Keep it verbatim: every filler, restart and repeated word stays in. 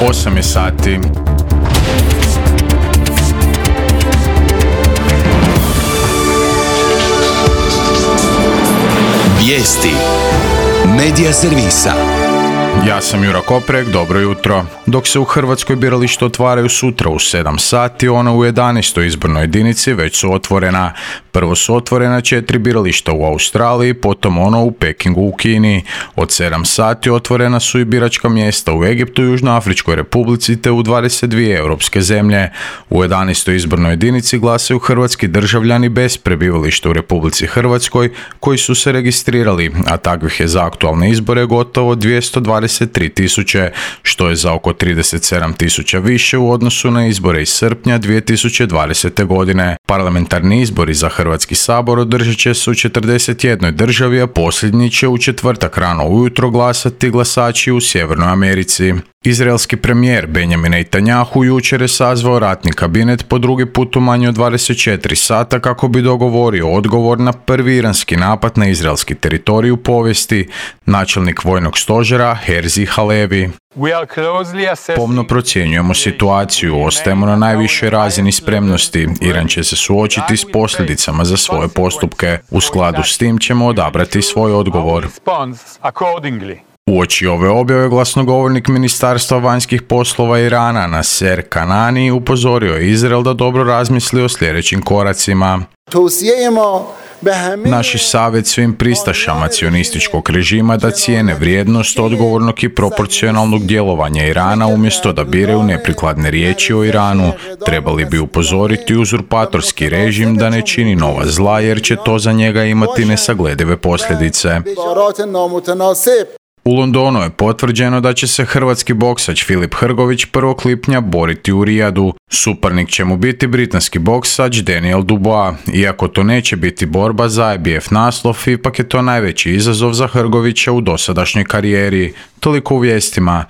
osam je sati. Vijesti Medija servisa. Ja sam Jura Koprek, dobro jutro. Dok se u Hrvatskoj birališta otvaraju sutra u sedam sati, ona u jedanaestoj izbornoj jedinici već su otvorena. Prvo su otvorena četiri birališta u Australiji, potom ono u Pekingu u Kini. Od sedam sati otvorena su i biračka mjesta u Egiptu i Južnoafričkoj Republici te u dvadeset dvije europske zemlje. U jedanaestoj izbornoj jedinici glasaju hrvatski državljani bez prebivališta u Republici Hrvatskoj koji su se registrirali, a takvih je za aktualne izbore gotovo dvjesto dvadeset tri tisuće, što je za oko trideset sedam tisuća više u odnosu na izbore iz srpnja dvije tisuće dvadesete. godine. Parlamentarni izbori za Hrvatski sabor održat će se u četrdeset jednoj državi, a posljednji će u četvrtak rano ujutro glasati glasači u Sjevernoj Americi. Izraelski premijer Benjamin Netanjahu jučer je sazvao ratni kabinet po drugi put u manje od dvadeset četiri sata kako bi dogovorio odgovor na prvi iranski napad na izraelski teritorij u povijesti. Načelnik vojnog stožera Herzi Halevi: pomno procjenjujemo situaciju, ostajemo na najvišoj razini spremnosti. Iran će se suočiti s posljedicama za svoje postupke. U skladu s tim ćemo odabrati svoj odgovor. Uoči ove objave glasnogovornik Ministarstva vanjskih poslova Irana Naser Kanani upozorio je Izrael da dobro razmisli o sljedećim koracima. Naš je savjet svim pristašama cionističkog režima da cijene vrijednost odgovornog i proporcionalnog djelovanja Irana umjesto da biraju neprikladne riječi o Iranu. Trebali bi upozoriti uzurpatorski režim da ne čini nova zla jer će to za njega imati nesagledive posljedice. U Londonu je potvrđeno da će se hrvatski boksač Filip Hrgović prvog lipnja boriti u Rijadu. Suparnik će mu biti britanski boksač Daniel Dubois. Iako to neće biti borba za I B F naslov, ipak je to najveći izazov za Hrgovića u dosadašnjoj karijeri. Toliko u vijestima.